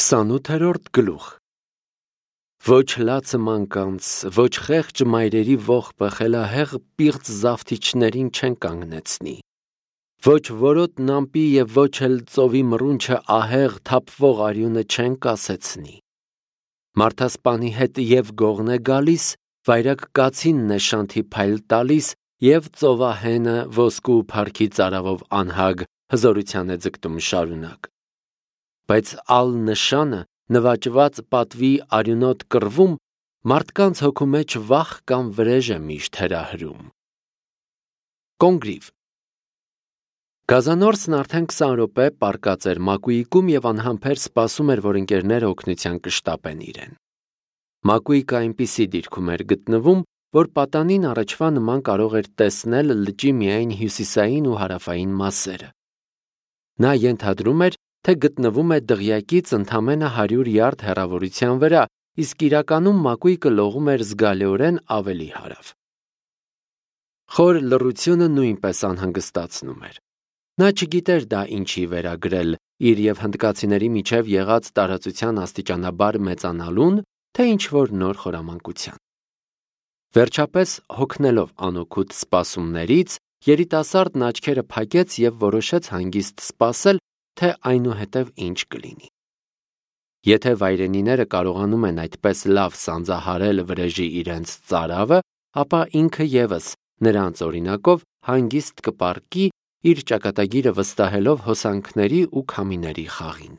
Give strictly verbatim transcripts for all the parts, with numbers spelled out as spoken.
Քսանութերորդ գլուխ Ոչ լացը մանկանց, ոչ խեղճ մայրերի ողբը խելահեղ պիղծ զավթիչներին չեն կանգնեցնի, ոչ որոտ նամպի և ոչ էլ ծովի մռունչը ահեղ թափվող արյունը չեն կասեցնի։ Մարդասպանի հետ և գողն է գալիս, վայրագ կացինն է շանթի փայլ տալիս, և ծովահենը ոսկու փառքի ծարավով անհագ հզորության է ձգտում շարունակ։ Բայց ալ նշանը նվաճված պատվի արյունոտ կռվում մարդկանց հոգու մեջ վախ կամ վրեժ է միշտ հրահրում։ Կոնգրիվ Գազանորսն արդեն քսան րոպե պառկած էր Մակուիկում և անհամբեր սպասում էր, որ ընկերները օգնության կշտապեն իրեն։ Մակուիկը այնպիսի դիրքում էր գտնվում, որ պատանին առաջվա նման կարող էր տեսնել լճի միայն հյուսիսային ու հարավային մասերը։ Նա ենթադրում էր, թե գտնվում է դղյակից ընդամենը հարյուր յարդ հեռավորության վրա, իսկ իրականում Մակուիկը լողում էր զգալիորեն ավելի հարավ։ Խոր լռությունը նույնպես անհանգստացնում էր։ Նա չգիտեր դա ինչի վերագրել՝ իր և հնդկացիների միջև եղած տարածության աստիճանաբար մեծանալուն, թե ինչ-որ նոր խորամանկության։ Վերջապես, հոգնելով անօգուտ սպասումներից, երիտասարդն աչքերը փակեց և որոշեց հանգիստ սպասել, թե այնուհետև ինչ կլինի։ Եթե վայրենիները կարողանում են այդպես լավ սանձահարել վրեժի իրենց ծարավը, ապա ինքը ևս նրանց օրինակով հանգիստ կպառկի, իր ճակատագիրը վստահելով հոսանքների ու քամիների խաղին։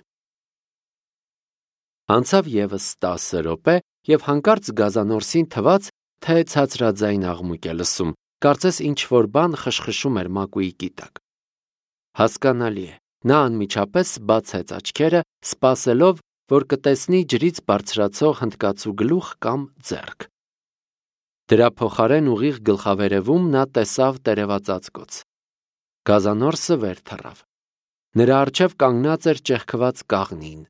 Անցավ ևս տասը րոպե, և հանկարծ Գազանորսին թվաց, թե ցածրաձայն աղմուկ է լսում, կարծես ինչ-որ բան խշխշում էր Մակուիկի տակ։ Հասկանալի է, նա անմիջապես բացեց աչքերը, սպասելով, որ կտեսնի ջրից բարձրացող հնդկացու գլուխ կամ ձեռք։ Դրա փոխարեն ուղիղ գլխավերևում նա տեսավ տերևածածկոց։ Գազանորսը վեր թռավ։ Նրա առջև կանգնած էր ճեղքված կաղնին։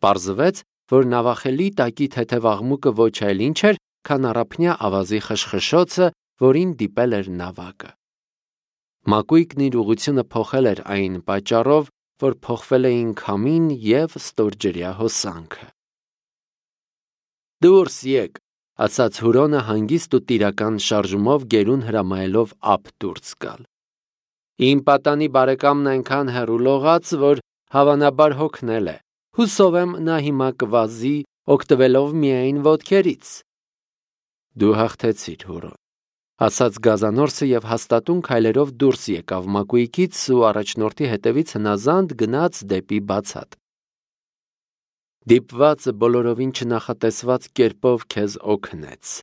Պարզվեց, որ նավախելի տակի թեթև աղմուկը ոչ այլ ինչ էր, քան առափնյա ավազի խշխշոցը, որին դիպել էր նավակը։ Մակուիկն իր ուղղությունը փոխել էր այն պատճառով, որ փոխվել էին քամին և ստորջրյա հոսանքը։ «Դուրս եկ», ասաց Հուրոնը հանգիստ ու տիրական շարժումով գերուն հրամայելով ափ դուրս գալ։ «Իմ պատանի բարեկամն այնքան հեռու լողաց, որ հավանաբար հոգնել է։ Հուսով եմ, նա հիմա կվազի, օգտվելով միայն ոտքերից»։ «Դու հաղթեցիր, Հուրոն», ասաց Գազանորսը և հաստատուն քայլերով դուրս եկավ Մակուիկից ու առաջնորդի հետևից հնազանդ գնաց դեպի բացատ։ Դիպվածը բոլորովին չնախատեսված կերպով քեզ օգնեց։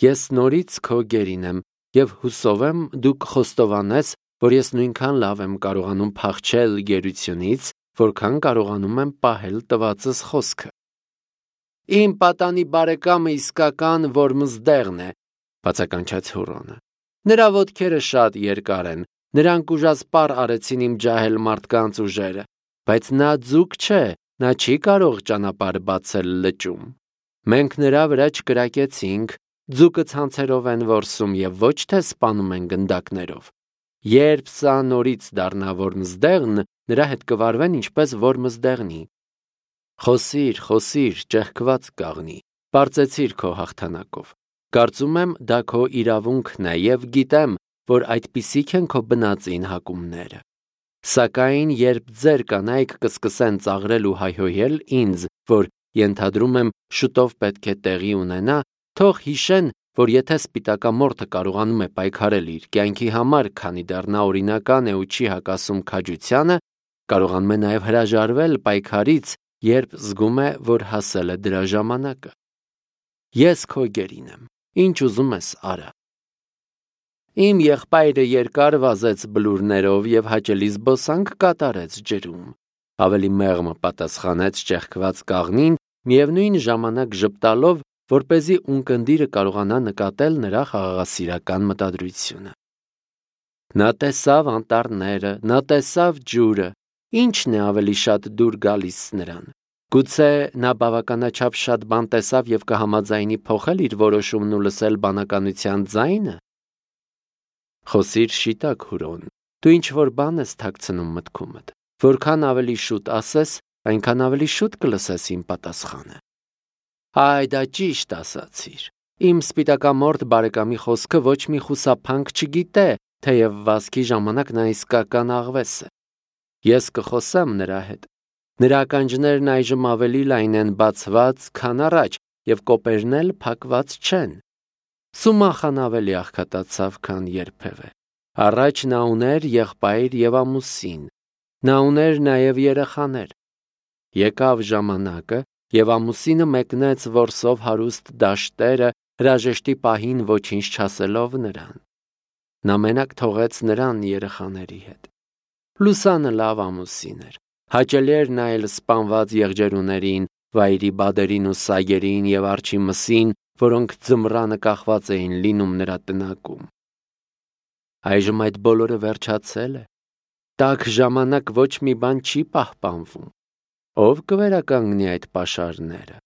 Ես նորից քո գերին եմ և հուսով եմ, դու կխոստովանես, որ ես նույնքան լավ եմ կարողանում փախչել գերությունից, որքան կարողանում եմ պահել տվածս խոսքը։ «Իմ պատանի բարեկամը իսկական Որմզդեղն է», բացականչեց Հուրոնը։ «Նրա ոտքերը շատ երկար են, նրանք ուժասպառ արեցին իմ ջահել մարդկանց ուժերը, բայց նա ձուկ չէ, նա չի կարող ճանապարհ բացել լճում։ Մենք նրա վրա չկրակեցինք, ձուկը ցանցերով են որսում և ոչ թե սպանում են գնդակներով։ Երբ սա նորից դառնա Որմզդեղն, նրա հետ կվարվեն ինչպես Որմզդեղնի։ Խոսիր, խոսիր, ճեղքված կաղնի, պարծեցիր քո հաղթանակով։ Կարծում եմ, դա քո իրավունքն է և գիտեմ, որ այդպիսիք են քո բնածին հակումները։ Սակայն երբ ձեր կանայք կսկսեն ծաղրել ու հայհոյել ինձ, որ ենթադրում եմ շուտով պետք է տեղի ունենա, թող հիշեն, որ եթե սպիտակամորթը կարողանում է պայքարել իր կյանքի համար, քանի դեռ նա օրինական է ու չի հակասում քաջությանը, կարողանում է նաև հրաժարվել պայքարից, երբ զգում է, որ հասել է դրա ժամանակը։ Ես քո գերին եմ, ինչ ուզում ես արա։ Իմ եղբայրը երկար վազեց բլուրներով և հաճելի զբոսանք կատարեց ջրում, ավելի մեղմ պատասխանեց ճեղքված կաղնին, միևնույն ժամանակ ժպտալով, որպեսզի ունկնդիրը կարողանա նկատել նրա խաղաղասիրական մտադրությունը։ Նա տեսավ անտառները, նա տեսավ ջուրը, ինչն է ավելի շատ դուր գալիս նրան։ Գուցե նա բավականաչափ շատ բան տեսավ և կհամաձայնի փոխել իր որոշումն ու լսել բանականության ձայնը։ Խոսիր շիտակ, Հուրոն, դու ինչ-որ բան ես թաքցնում մտքումդ։ Որքան ավելի շուտ ասես, այնքան ավելի շուտ կլսես իմ պատասխանը։ Այ դա ճիշտ ասացիր։ Իմ սպիտակամորթ բարեկամի խոսքը ոչ մի խուսափանք չգիտե, թեև վազքի ժամանակ նա իսկական աղվես է։ Ես կխոսեմ նրա հետ։ Նրա ականջներն այժմ ավելի լայն են բացված, քան առաջ, եւ կոպերն էլ փակված չեն։ Սումախան ավելի աղքատացավ, քան երբևէ։ Առաջ նա ուներ եղբայր եւ ամուսին։ Նա ուներ նաեւ երեխաներ։ Եկավ ժամանակը, եւ ամուսինը մեկնեց որսով հարուստ դաշտերը, հրաժեշտի պահին ոչինչ չասելով նրան։ Նա մենակ թողեց նրան երեխաների հետ։ Լուսանը լավ ամուսին էր։ Հաճելի էր նայել սպանված եղջերուներին, վայրի բադերին ու սայերին եւ արջի մսին, որոնք ձմռանը կախված էին լինում նրա տնակում։ Այժմ այդ բոլորը վերջացել է։ Տաք ժամանակ ոչ մի բան չի պահպանվում։ Ով կվերականգնի այդ պաշարները։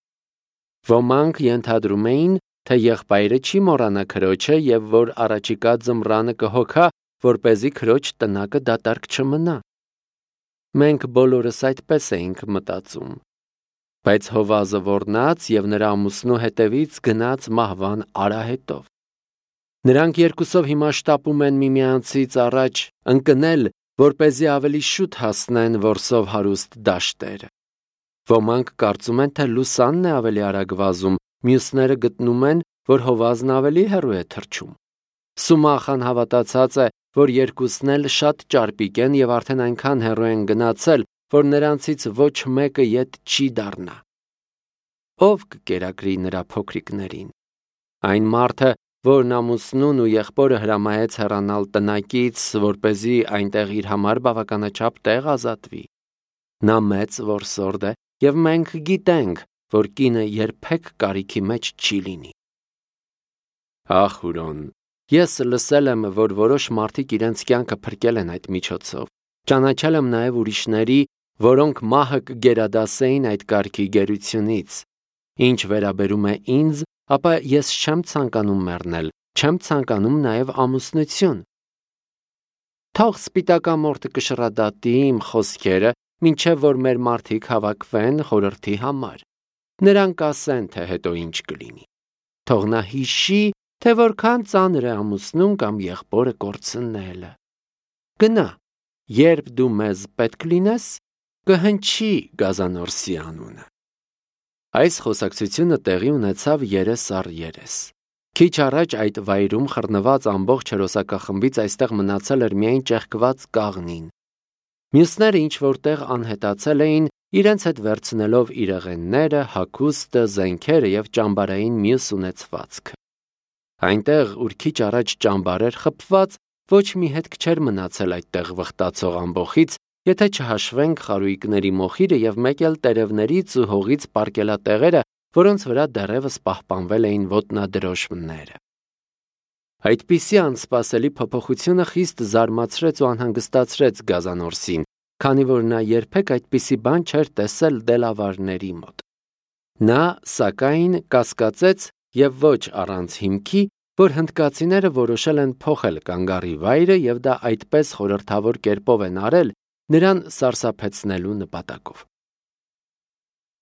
Ոմանք ենթադրում էին, թե եղբայրը չի մոռանա քրոջը եւ որ առաջիկա ձմռանը կհոգա, որպեսզի քրոջ տնակը դատարկ չմնա։ Մենք բոլորս այդպես էինք մտածում։ Բայց Հովազը ոռնաց եւ նրա ամուսնու հետևից գնաց մահվան արահետով։ Նրանք երկուսով հիմա շտապում են միմյանցից առաջ ընկնել, որպեսզի ավելի շուտ հասնեն որսով հարուստ դաշտերը։ Ոմանք կարծում են, թե Լուսանն է ավելի արագ վազում, մյուսները գտնում են, որ Հովազն ավելի հեռու է թռչում։ Սումախան հավատացած է, որ երկուսն էլ շատ ճարպիկ են եւ արդեն այնքան հեռու են գնացել, որ նրանցից ոչ մեկը ետ չի դառնա։ Ով կկերակրի նրա փոքրիկներին։ Այն մարդը, որն ամուսնուն ու եղբորը հրամայեց հեռանալ տնակից, որպեսզի այնտեղ իր համար բավականաչափ տեղ ազատվի։ Նա մեծ որսորդ է, եւ մենք գիտենք, որ կինը երբեք կարիքի մեջ չի լինի։ Ախ, Հուրոն, ես լսել եմ, որ որոշ մարդիկ իրենց կյանքը փրկել են այդ միջոցով։ Ճանաչել եմ նաեւ ուրիշների, որոնք մահը կգերադասեին այդ կարգի գերությունից։ Ինչ վերաբերում է ինձ, ապա ես չեմ ցանկանում մեռնել, չեմ ցանկանում նաեւ ամուսնություն։ Թող սպիտակամորթը կշռադատի իմ խոսքերը, մինչև որ մեր մարդիկ հավաքվեն խորհրդի համար։ Նրանք ասեն, թե հետո ինչ կլինի։ Թող նա հիշի, թե որքան ծանր է ամուսնուն կամ եղբորը կորցնելը։ Գնա, երբ դու մեզ պետք լինես, կհնչի Գազանորսի անունը։ Այս խոսակցությունը տեղի ունեցավ երես առ երես։ Քիչ առաջ այդ վայրում խռնված ամբողջ հերոսակախմբից այստեղ մնացել էր միայն ճեղքված կաղնին։ Մյուսները ինչ որտեղ անհետացել էին, իրենց հետ վերցնելով իրեղենները, հագուստը, զենքերը եւ ճամբարային մյուս ունեցվածքը։ Այնտեղ, ուր քիչ առաջ ճամբար էր խփված, ոչ մի հետք չէր մնացել այդտեղ վխտացող ամբոխից, եթե չհաշվենք խարույկների մոխիրը եւ մեկ էլ տերևներից ու հողից պարկելատեղերը, որոնց վրա դեռևս պահպանվել էին ոտնադրոշմները։ Այդպիսի անսպասելի փոփոխությունը խիստ զարմացրեց ու անհանգստացրեց Գազանորսին, քանի որ նա երբեք այդպիսի բան չէր տեսել դելավարների մոտ։ Նա, սակայն, կասկածեց եւ ոչ առանց հիմքի, որ հնդկացիները որոշել են փոխել կանգառի վայրը եւ դա այդպես խորհրդավոր կերպով են արել, նրան սարսափեցնելու նպատակով։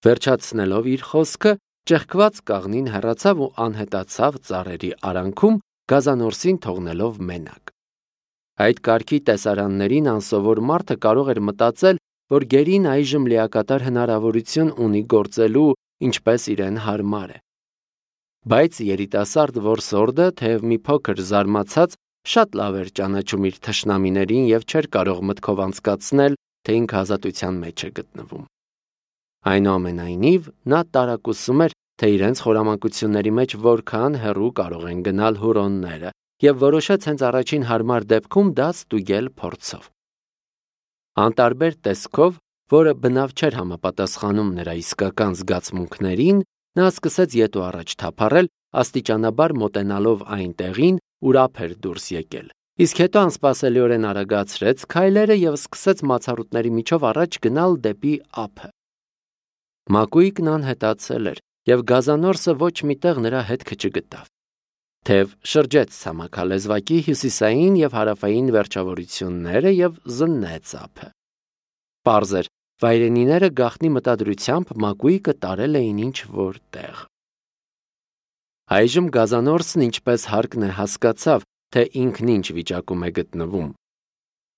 Վերջացնելով իր խոսքը, ճեղքված կաղնին հեռացավ ու անհետացավ ծառերի արանքում, Գազանորսին թողնելով մենակ։ Այդ կարգի տեսարաններին անսովոր մարդը կարող էր մտածել, որ գերին այժմ լիակատար հնարավորություն ունի գործելու, ինչպես իրեն հարմար է։ Բայց երիտասարդ որսորդը, թեև մի փոքր զարմացած, շատ լավ էր ճանաչում իր թշնամիներին եւ չէր կարող մտքով անցկացնել, թե ինքը ազատության մեջ է գտնվում։ Այնուամենայնիվ, նա տարակուսում էր, թե իրենց խորամանկությունների մեջ որքան հեռու կարող են գնալ հուրոնները, եւ որոշեց հենց առաջին հարմար դեպքում դա ստուգել փորձով։ Անտարբեր տեսքով, որը բնավ չէր համապատասխանում նրա իսկական զգացմունքներին, նա սկսեց ետ ու առաջ թափառել, աստիճանաբար մոտենալով այն տեղին, ուր ափ էր դուրս եկել։ Իսկ հետո անսպասելիորեն արագացրեց քայլերը եւ սկսեց մացառուտների միջով առաջ գնալ դեպի ափը։ Մակույկն անհետացել էր, եւ Գազանորսը ոչ միտեղ նրա հետքը չգտավ։ Թեև շրջեց ցամաքալեզվակի հյուսիսային եւ հարավային վերջավորությունները եւ զննեց ափը։ Պարզ էր, վայրենիները գաղտնի մտադրությամբ մակույկը տարել էին ինչ-որ տեղ։ Այժմ գազանորսն ինչպես հարկն է հասկացավ, թե ինքն ինչ վիճակում է գտնվում։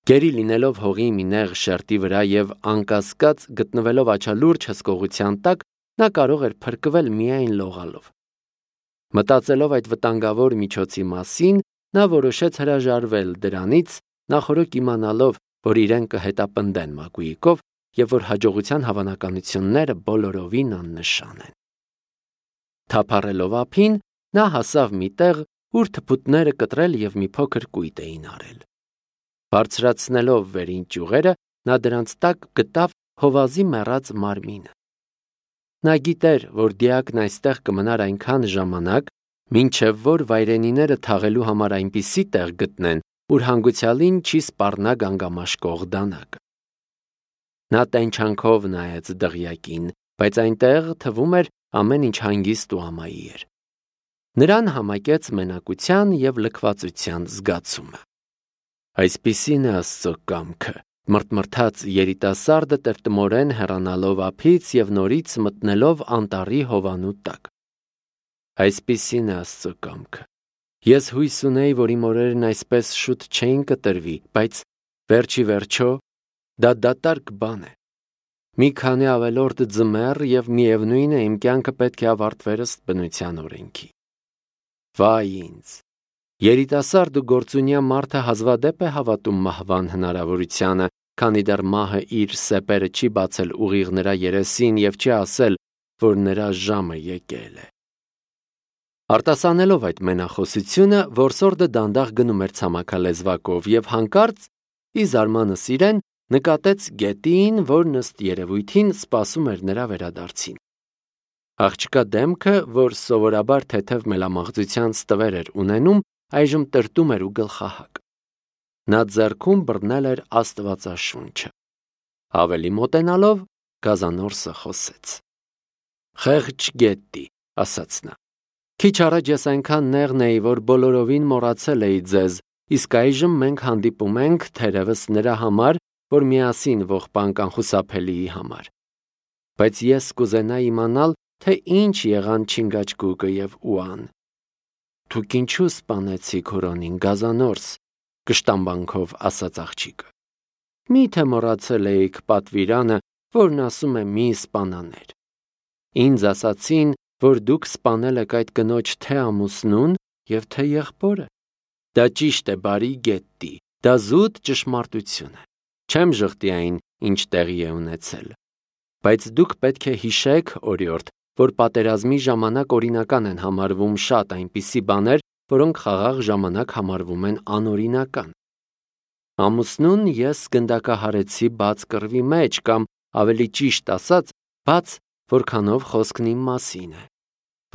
Գերի լինելով հողի մի նեղ շերտի վրա և անկասկած գտնվելով աչալուրջ հսկողության տակ, նա կարող էր փրկվել միայն լողալով։ Մտածելով այդ վտանգավոր միջոցի մասին, նա որոշեց հրաժարվել դրանից, նախօրոք իմանալով, որ իրեն կհետապնդեն մակույկով և որ հաջողության հավանականությունները բոլորովին աննշան են։ Թափառելով ափին, նա հասավ մի տեղ, ուր թփուտները կտրել և մի փոքր կույտ էին արել։ Բարձրացնելով վերին ճյուղերը, նա դրանց տակ գտավ հովազի մեռած մարմինը։ Նա գիտեր, որ դիակն այստեղ կմնար այնքան ժամանակ, մինչև որ վայրենիները թաղելու համար այնպիսի տեղ գտնեն, ուր հանգուցյալին չի սպառնա գանգամաշկող դանակը։ Նա տենչանքով նայեց դղյակին, բայց այնտեղ թվում էր ամեն ինչ հանգիստ ու ամայի էր։ Նրան համակեց մենակության և լքվածության զգացումը։ Այսպիսին է Աստծո կամքը, մռթմռթաց երիտասարդը տրտմորեն հեռանալով ափից և նորից մտնելով անտառի հովանու տակ։ Այսպիսին է Աստծո կամքը։ Ես հույս ունեի, որ իմ օրերն այսպես շուտ չէին կտրվի, բայց վերջի վերջո դա դատարկ բան է։ Մի քանի ավելորդ ձմեռ և միևնույն է իմ կյանքը պետք է ավարտվեր ըստ բնության օրենքի։ Վայ ինձ։ Երիտասարդ ու գործունյա մարդը հազվադեպ է հավատում մահվան հնարավորությանը, քանի դեռ մահը իր սեպերը չի բացել ուղիղ նրա երեսին և չի ասել, որ նրա ժամը եկել է։ Արտասանելով այդ մենախոսությունը, որսորդը դանդաղ գնում էր ցամաքալեզվակով և հանկարծ, ի զարմանս իրեն, նկատեց գետին, որն ըստ երևույթին սպասում էր նրա վերադարձին։ Աղջկա դեմքը, որ սովորաբար թեթև մելամաղձության ստվեր էր ունենում, այժմ տրտում էր ու գլխահակ։ Նա ձեռքում բռնել էր Աստվածաշունչը։ Ավելի մոտենալով, գազանորսը խոսեց։ «Խեղճ գետտի», ասաց նա։ «Քիչ առաջ ես այնքան նեղն էի, որ բոլորովին մոռացել էի ձեզ, իսկ այժմ մենք հանդիպում ենք, թերևս նրա համար, որ միասին ողբանք անխուսափելիի համար։ Բայց ես կուզենայի իմանալ, թե ինչ եղան Չինգաչգուկը և Ուան։ Դուք ինչու սպանեցիք Հուրոնին, գազանորս», կշտամբանքով ասաց աղջիկը։ Մի՞թե մոռացել էիք պատվիրանը, որն ասում է մի սպանաներ։ Ինձ ասացին, որ դուք սպանել եք այդ կնոջ թե ամուսնուն և թե եղբորը։ Դա ճիշտ է, բարի գետտի, դա զուտ ճշմարտություն է։ Չեմ ժխտի այն, ինչ տեղի է ունեցել։ Բայց դուք պետք է հիշեք, օրիորդ, որ պատերազմի ժամանակ օրինական են համարվում շատ այնպիսի բաներ, որոնք խաղաղ ժամանակ համարվում են անօրինական։ Ամուսնուն ես գնդակահարեցի բաց կռվի մեջ կամ, ավելի ճիշտ ասած, բաց, որքանով խոսքն իմ մասին է,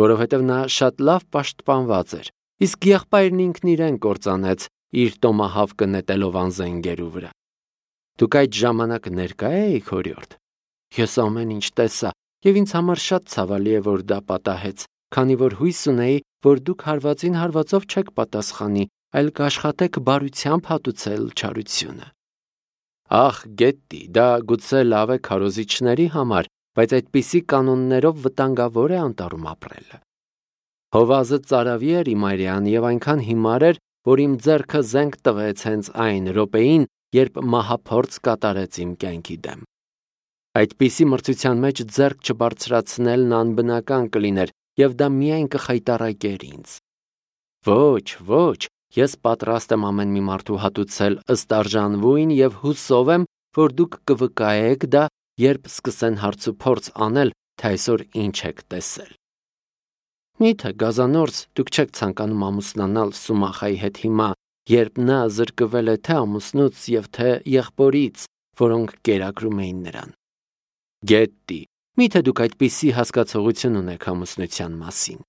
որովհետև նա շատ լավ պաշտպանված էր, իսկ եղբայրն ինքն իրեն կործանեց, իր տոմահավկը նետելով անզենգերու վրա։ Դուք այդ ժամանակ ներկա էիք, օրիորդ։ Ես ամեն ինչ տեսա, և ինձ համար շատ ցավալի է, որ դա պատահեց, քանի որ հույս ունեի, որ դուք հարվածին հարվածով չեք պատասխանի, այլ կաշխատեք բարությամբ հատուցել չարությունը։ Ախ, գետտի, դա գուցե լավ է քարոզիչների համար, բայց այդպիսի կանոններով վտանգավոր է անտառում ապրելը։ Հովազը ծարավի էր իմ այրան և այնքան հիմար էր, որ իմ ձեռքը զենք տվեց հենց այն րոպեին, երբ մահափորձ կատարեց իմ կյանքի դեմ։ Այդպիսի մրցության մեջ ձեռք չբարձրացնելն անբնական կլիներ, և դա միայն կխայտառակեր ինձ։ Ոչ, ոչ, ես պատրաստ եմ ամեն մի մարդու հատուցել ըստ արժանվույն և հուսով եմ, որ դուք կվկայեք դա, երբ սկսեն հարցուփորձ անել, թե այսօր ինչ եք տեսել։ Մի՞թե գազանորս, դուք չեք ցանկանում ամուսնանալ Սումախայի հետ հիմա, երբ նա զրկվել է թե ամուսնուց և թե եղբորից, որոնք կերակրում էին նրան։ Գետտի, մի՞թե դուք այդպիսի հասկացողություն ունեք ամուսնության մասին։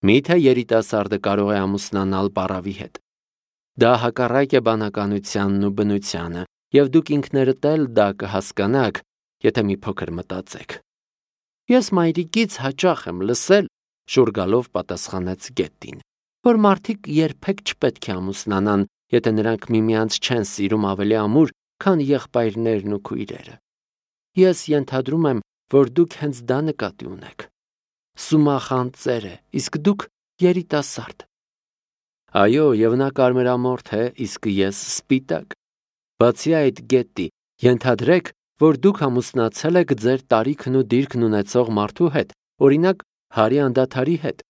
Մի՞թե երիտասարդը կարող է ամուսնանալ պառավի հետ։ Դա հակառակ է բանականությանն ու բնությանը, և դուք ինքներդ էլ դա կհասկանաք, եթե մի փոքր մտածեք։ Ես մայրիկից հաճախ եմ լսել, շուռ գալով պատասխանեց գետտին, որ մարդիկ երբեք չպետք է ամուսնանան, եթե նրանք միմյանց չեն սիրում ավելի ամուր, քան եղբայրներն ու քույրերը։ Ես ենթադրում եմ, որ դուք հենց դա նկատի ունեք։ Սումախան ծեր է, իսկ դուք երիտասարդ։ Այո, եւ նա կարմրամորթ է, իսկ ես սպիտակ։ Բացի այդ, Գետտի, ենթադրեք, որ դուք ամուսնացել եք ձեր տարիքն ու դիրքն ունեցող մարդու հետ, օրինակ Հարի անդադարի հետ։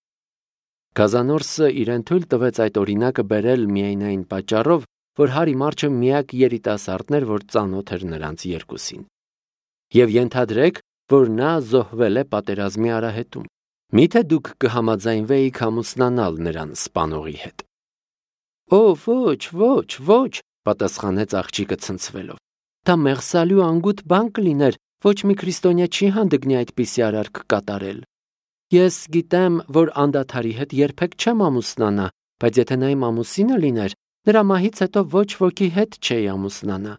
Գազանորսը իրեն թույլ տվեց այդ օրինակը բերել միայն այն պատճառով, որ Հարի Մարչը միակ երիտասարդն էր, որ ծանոթ էր նրանց երկուսին։ Եվ ենթադրեք, որ նա զոհվել է պատերազմի արահետում։ Միթե դուք կհամաձայնվեիք ամուսնանալ նրան սպանողի հետ։ Օ, ոչ, ոչ, ոչ, պատասխանեց աղջիկը ցնցվելով։ Դա մեղսալու անգութ բան կլիներ, ոչ մի քրիստոնյա չի հանդգնի այդպիսի արարք կատարել։ Ես գիտեմ, որ անդադարի հետ երբեք չեմ ամուսնանա, բայց եթե նա իմ ամուսինը լիներ, նրա մահից հետո ոչ ոքի հետ չէի ամուսնանա։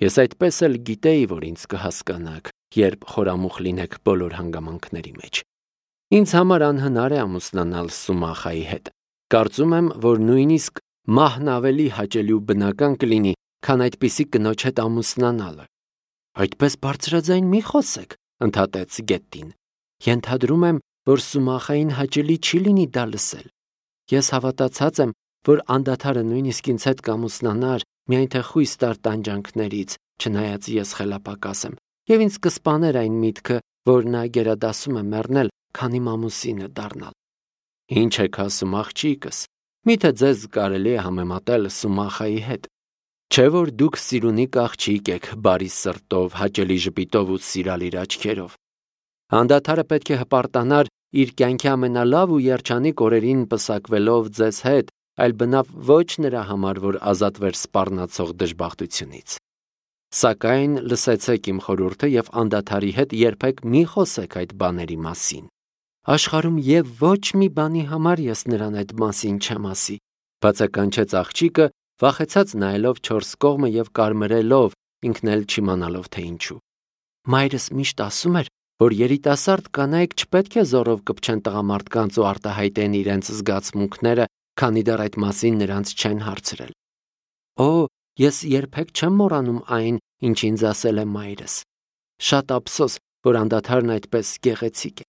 Ես այդպես էլ գիտեի, որ ինձ կհասկանաք, երբ խորամուխ լինեք բոլոր հանգամանքների մեջ։ Ինձ համար անհնար է ամուսնանալ Սումախայի հետ։ Կարծում եմ, որ նույնիսկ մահն ավելի հաճելի ու բնական կլինի, քան այդպիսի կնոջ հետ ամուսնանալը։ Այդպես բարձրաձայն մի խոսեք, ընդհատեց Գետտին։ Ենթադրում եմ, որ Սումախային հաճելի չի լինի դա լսել։ Ես հավատացած եմ, որ անդադարը նույնիսկ ինձ հետ կամուսնանար, միայն թե խույս տար տանջանքներից, չնայած ես խելապակաս եմ, եւ ինձ կսպաներ այն միտքը, որ նա գերադասում է մեռնել, քան իմ ամուսինը դառնալ։ Ինչ եք ասում, աղջիկս, միթե ձեզ կարելի է համեմատել Սումախայի հետ։ Չէ՞ որ դուք սիրունիկ աղջիկ եք, բարի սրտով, հաճելի ժպիտով ու սիրալիր աչքերով։ Անդադարը պետք է հպարտանար իր կյանքի ամենալավ ու երջանիկ օրերին պսակվելով ձեզ հետ, այլ բնավ ոչ նրա համար, որ ազատվեր սպառնացող դժբախտությունից։ Սակայն լսեցեք իմ խորհուրդը եւ անդադարի հետ երբեք մի խոսեք այդ բաների մասին։ Աշխարհում եւ ոչ մի բանի համար ես նրան այդ մասին չեմ ասի, բացականչեց աղջիկը, վախեցած նայելով չորս կողմը եւ կարմրելով, ինքն էլ չիմանալով թե ինչու։ Մայրս միշտ ասում էր, որ երիտասարդ կանայք չպետք է զորով կպչեն տղամարդկանց ու արտահայտեն իրենց զգացմունքները, քանի դեռ այդ մասին նրանց չեն հարցրել։ Օ, ես երբեք չեմ մոռանում այն, ինչ ինձ ասել է մայրս։ Շատ ափսոս, որ անդադարն այդպես գեղեցիկ է։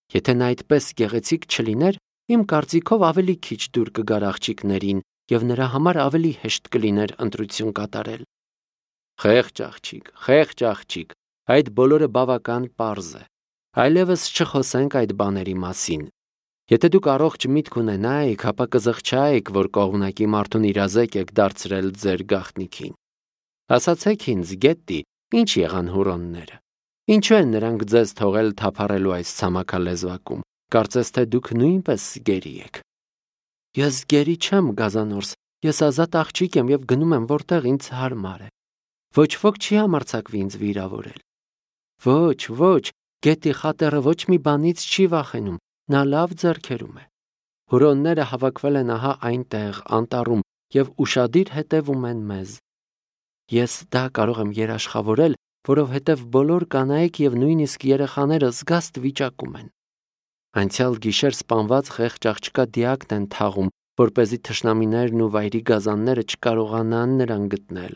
Եթե նա այդպես գեղեցիկ չլիներ, իմ կարծիքով ավելի քիչ դուր կգար աղջիկներին եւ նրա համար ավելի հեշտ կլիներ ընտրություն կատարել։ Խեղճ աղջիկ, խեղճ աղջիկ, այդ բոլորը բավական պարզ է։ Այլևս չխոսենք այդ բաների մասին։ Եթե դուք առողջ միտք ունենայիք, ապա կզղջայիք, որ կողմնակի մարդուն իրազեկ եք դարձրել ձեր գաղտնիքին։ Ասացեք ինձ, Գետտի, ինչ եղան հուրոնները։ Ինչու են նրանք ձեզ թողել թափառելու այս ցամաքալեզվակում։ Կարծես թե դուք նույնպես գերի եք։ Ես գերի չեմ, Գազանորս, ես ազատ աղջիկ եմ եւ գնում եմ որտեղ ինձ հարմար է։ Ոչ ոք չի համարձակվի ինձ վիրավորել։ Ոչ, ոչ, Գետտի խատերը ոչ մի բանից չի վախենում, նա լավ ձեռքերում է։ Հուրոնները հավաքվել են ահա այնտեղ, անտառում եւ ուշադիր հետևում են մեզ։ Ես դա կարող եմ երաշխավորել, որովհետև բոլոր կանայք եւ նույնիսկ երեխաները զգաստ վիճակում են։ Անցյալ գիշեր սպանված խեղճ աղջկա դիակն են թաղում, որպեսզի թշնամիներն ու վայրի գազանները չկարողանան նրան գտնել։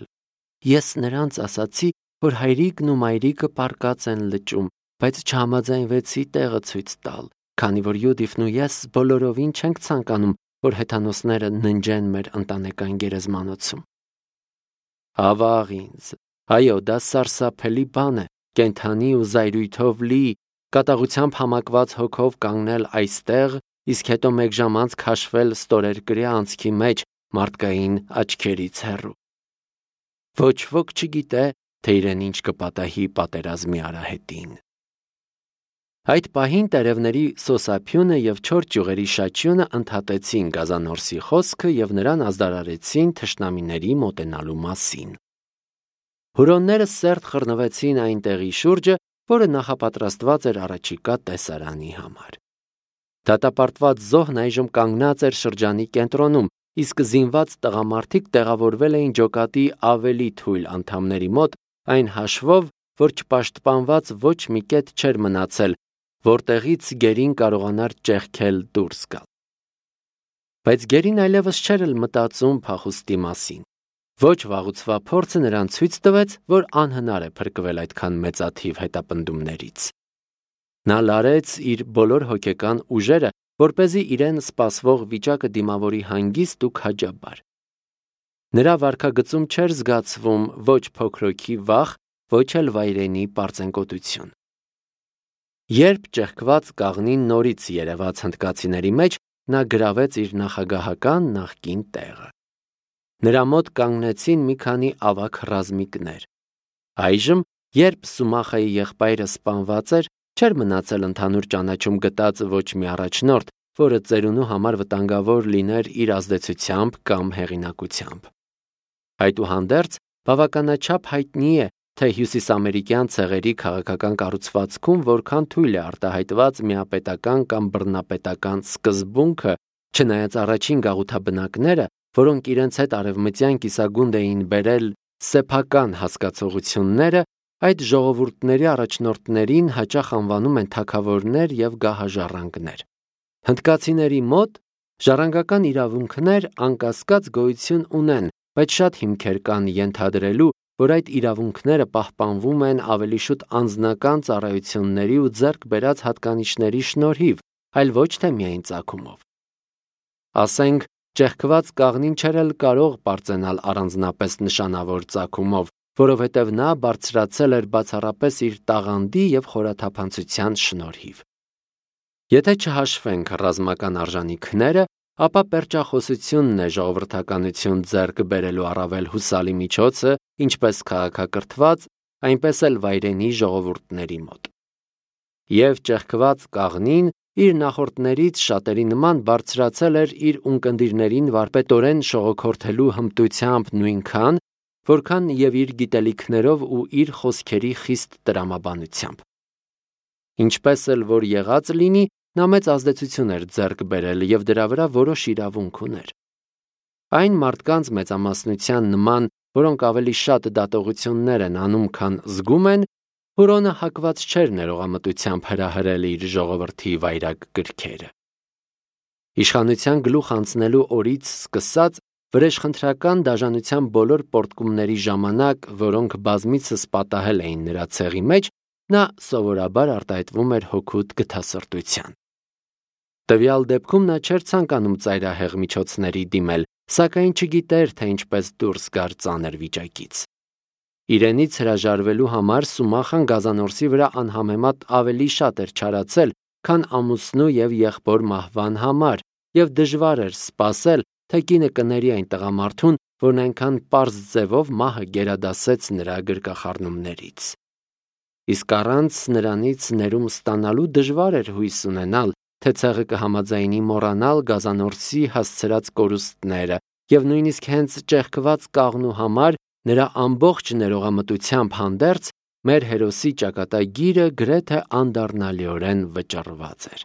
Ես նրանց ասացի, որ հայրիկն ու մայրիկը պարկած են լճում, բայց չհամաձայնվեցի տեղը ցույց տալ, քանի որ Յուդիֆն ու ես բոլորովին չենք ցանկանում, որ հեթանոսները ննջեն մեր ընտանեկան գերեզմանոցում։ Ավաղ ինձ, այո, դա սարսափելի բան է, կենդանի ու զայրույթով լի, կատաղությամբ համակված հոգով կանգնել այստեղ, իսկ հետո մեկ ժամ անց քաշվել ստորերկրյա անցքի մեջ մարդկային աչքերից հեռու։ Ոչ ոք չգիտե, թե իրեն ինչ կպատահի պատերազմի արահետին։ Այդ պահին տերևների սոսափյունը եւ չոր ճյուղերի շաչյունը ընդհատեցին Գազանորսի խոսքը եւ նրան ազդարարեցին թշնամիների մոտենալու մասին։ Հուրոնները սերտ խռնվեցին այն տեղի շուրջը, որը նախապատրաստված էր առաջիկա տեսարանի համար։ Դատապարտված զոհն այժմ կանգնած էր շրջանի կենտրոնում, իսկ զինված տղամարդիկ տեղավորվել էին ջոկատի ավելի թույլ անդամների մոտ, այն հաշվով, որ չպաշտպանված ոչ մի կետ չէր մնացել, որտեղից գերին կարողանար ճեղքել դուրս գալ։ Բայց գերին այլևս չէր էլ մտածում փախուստի մասին։ Ոչ վաղուցվա փորձը նրան ցույց տվեց, որ անհնար է փրկվել այդքան մեծաթիվ հետապնդումներից։ Նա լարեց իր բոլոր հոգեկան ուժերը, որպեսզի իրեն սպասվող վիճակը դիմավորի հանգիստ ու քաջաբար։ Նրա վարքագծում չէր զգացվում ոչ փոքրոքի վախ, ոչ էլ վայրենի պարծենկոտություն։ Երբ ճեղքված կաղնին նորից երևաց հնդկացիների մեջ, նա գրավեց իր նախագահական նախկին տեղը։ Նրա մոտ կանգնեցին մի քանի ավագ ռազմիկներ։ Այժմ, երբ Սումախայի եղբայրը սպանված էր, չէր մնացել ընդհանուր ճանաչում գտած ոչ մի առաջնորդ, որը ծերունու համար վտանգավոր լիներ իր ազդեցությամբ կամ հեղինակությամբ։ Այդուհանդերձ, բավականաչափ հայտնի է, թե հյուսիսամերիկյան ցեղերի քաղաքական կառուցվածքում որքան թույլ է արտահայտված միապետական կամ բռնապետական սկզբունքը, չնայած առաջին գաղութաբնակները, որոնք իրենց հետ արևմտյան կիսագունդ էին բերել սեփական հասկացողությունները, այդ ժողովուրդների առաջնորդներին հաճախ անվանում են թագավորներ և գահաժառանգներ։ Հնդկացիների մոտ ժառանգական իրավունքներ անկասկած գոյություն ունեն, բայց շատ հիմքեր կան ենթադրելու, որ այդ իրավունքները պահպանվում են ավելի շուտ անձնական ծառայությունների ու ձեռք բերած հատկանիշների շնորհիվ, այլ ոչ թե միայն ծագումով։ Ասենք, ճեղքված կաղնին չէր էլ կարող պարծենալ առանձնապես նշանավոր ծագումով, որովհետև նա բարձրացել էր բացառապես իր տաղանդի և խորաթափանցության շնորհիվ։ Եթե չհաշվենք ռազմական արժանինքները, ապա պերճախոսությունն է ժողովրդականություն ձեռք բերելու առավել հուսալի միջոցը ինչպես քաղաքակրթված, այնպես էլ վայրենի ժողովուրդների մոտ։ Եվ ճեղքված կաղնին իր նախորդներից շատերի նման բարձրացել էր իր ունկնդիրներին վարպետորեն շողոքորթելու հմտությամբ նույնքան, որքան և իր գիտելիքներով ու իր խոսքերի խիստ տրամաբանությամբ։ Ինչպես էլ որ եղած լինի, նա մեծ ազդեցություն էր ձեռք բերել և դրա վրա որոշ իրավունք ուներ։ Այն մարդկանց մեծամասնության նման, որոնք ավելի շատ դատողություններ են անում, քան զգում են, Հուրոնը հակված չէր ներողամտությամբ հրահրել իր ժողովրդի վայրագ գրքերը։ Իշխանության գլուխ անցնելու օրից սկսած վրեժխնդրական դաժանության բոլոր պոռթկումների ժամանակ, որոնք բազմիցս պատահել էին նրա ցեղի մեջ, նա սովորաբար արտահայտվում էր հօգուտ գթասրտության։ Տվյալ դեպքում նա չէր ցանկանում ծայրահեղ միջոցների դիմել, սակայն չգիտեր, թե ինչպես դուրս գար ծանր վիճակից։ Իրենից հրաժարվելու համար Սումախան գազանորսի վրա անհամեմատ ավելի շատ էր չարացել, քան ամուսնու և եղբոր մահվան համար, և դժվար էր սպասել, թե կինը կների այն տղամարդուն, որն այնքան պարզ ձևով մահը գերադասեց նրա գրկախառնումներից։ Իսկ առանց նրանից ներում ստանալու դժվար էր հույս ունենալ, թե ցեղը կհամաձայնի մոռանալ գազանորսի հասցրած կորուստները և նույնիսկ հենց ճեղքված կաղնու համար նրա ամբողջ ներողամտությամբ հանդերձ մեր հերոսի ճակատագիրը գրեթե անդառնալիորեն վճռված էր։